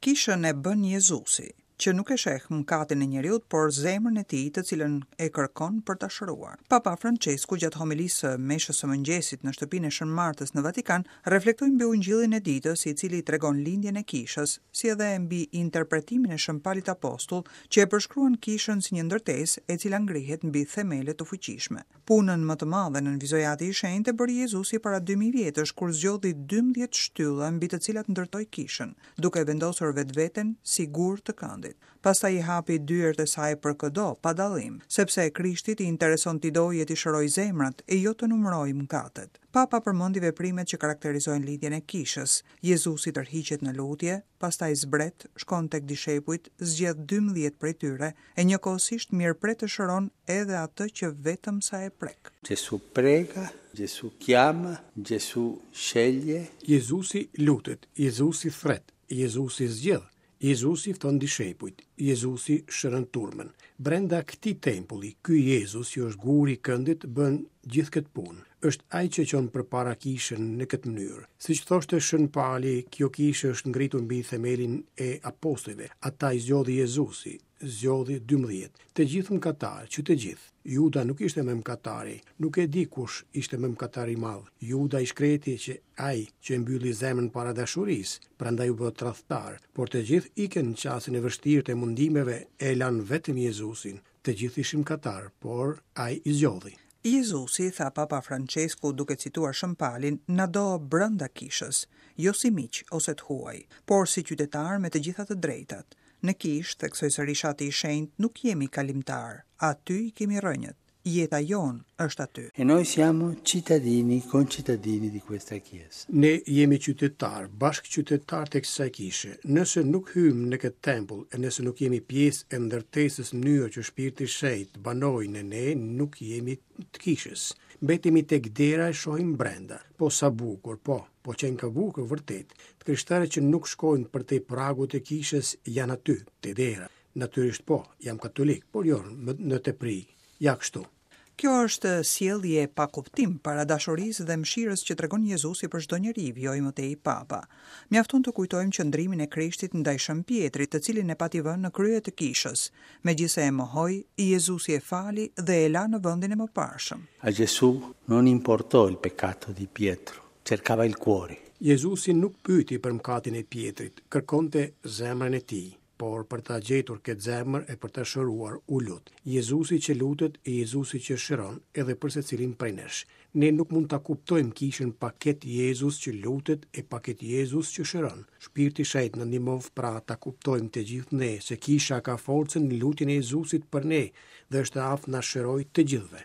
Kishën e bën Jezusi, që nuk e sheh mëkatin e njeriut, por zemrën e tij, të cilën e kërkon për ta shëruar. Papa Françesku gjatë homilisë së meshës së mëngjesit në shtëpinë e Shën Martës në Vatikan, reflektoi mbi Ungjillin e ditës, i cili tregon lindjen e kishës, si edhe mbi interpretimin e Shën Palit Apostull, që e përshkruan kishën si një ndërtesë e cila ngrihet mbi themele të fuqishme. Punën më të madhe, nënvizoi Ati i Shenjtë, e bëri Jezusi para 2000 vjetësh, kur zgjodhi 12 shtylla mbi të cilat ndërtoi kishën, duke vendosur vetveten si gur të këndit. Pastaj i hapi dyert e saj për këdo, pa dallim, sepse Krishtit i intereson t'i dojë e t'i shërojë zemrat, e jo të numërojë mëkatet. Papa përmendi veprimet që karakterizojnë lindjen e kishës. Jezusi tërhiqet në lutje, pastaj zbret, shkon tek dishepujt, zgjedh 12 prej tyre, e njëkohësisht mirëpret e shëron edhe atë që vetëm sa e prek. Gesù prega, Gesù chiama, Gesù sceglie. Jezusi lutet, Jezusi thërret, Jezusi zgjedh, Jezusi fton dishepujt, Jezusi shëron turmën. Brenda këtij tempulli, ky Jezus që është guri i këndit bën gjithë këtë punë. Është ai që çon përpara kishën në këtë mënyrë. Siç thoshte Shën Pali, kjo kishë është ngritur mbi themelin e apostujve. Ata i zgjodhi Jezusi, zgjodhi 12. Të gjithë mëkatarë, që të gjithë. Juda nuk ishte më mëkatari, nuk e di kush ishte më mëkatar i madh. Juda i shkreti qe ai që e mbylli zemrën para dashurisë, prandaj u bë tradhtar, por të gjithë ikën në çastin e vështirë të mundimeve e lanë vetëm Jezusin. Të gjithë ishin mëkatarë, por ai i zgjodhi. Jezusi, tha Papa Françesku duke cituar Shën Palin, na do brenda kishës, jo si miq ose të huaj, por si qytetarë me të gjitha të drejtat. Në kishë, theksoi sërish Ati i Shenjtë, nuk jemi kalimtarë, aty i kemi rrënjët. Jeta jonë është aty. E noi siamo cittadini, concittadini di questa chiesa. Ne jemi qytetarë, bashkëqytetarë të kësaj kishe. Nëse nuk hyjmë në këtë tempull e nëse nuk jemi pjesë e ndërtesës në mënyrë që Shpirti i Shenjtë të banojë në ne, nuk jemi të kishës. Mbetemi tek dera e shohim brenda. Po sa bukur, po, po qenka bukur vërtet. Të krishterët që nuk shkojnë përtej pragut të kishës janë aty, te dera. Natyrisht po, jam katolik, por jo në tepri. Ja kështu. Kjo është sjellje e pakuptim para dashurisë dhe mëshirës që tregon Jezusi për çdo njeri, vijoi më tej Papa. Mjafton të kujtojmë qëndrimin e Krishtit ndaj Shën Pjetrit, të cilin e pati vënë në krye të kishës. Megjithëse e mohoi, Jezusi e fali dhe e la në vendin e mëparshëm. A Gesù non importò il peccato di Pietro, cercava il cuore. Jezusi nuk pyeti për mëkatin e Pjetrit, kërkonte zemrën e tij. Por për ta gjetur këtë zemër e për ta shëruar u lut. Jezusi që lutet e Jezusi që shëron edhe për secilin prej nesh. Ne nuk mund ta kuptojmë kishën pa këtë Jezus që lutet e pa këtë Jezus që shëron. Shpirti i Shenjtë na ndihmoftë pra ta kuptojmë të gjithë ne se kisha ka forcën në lutjen e Jezusit për ne dhe është e aftë na shërojë të gjithëve.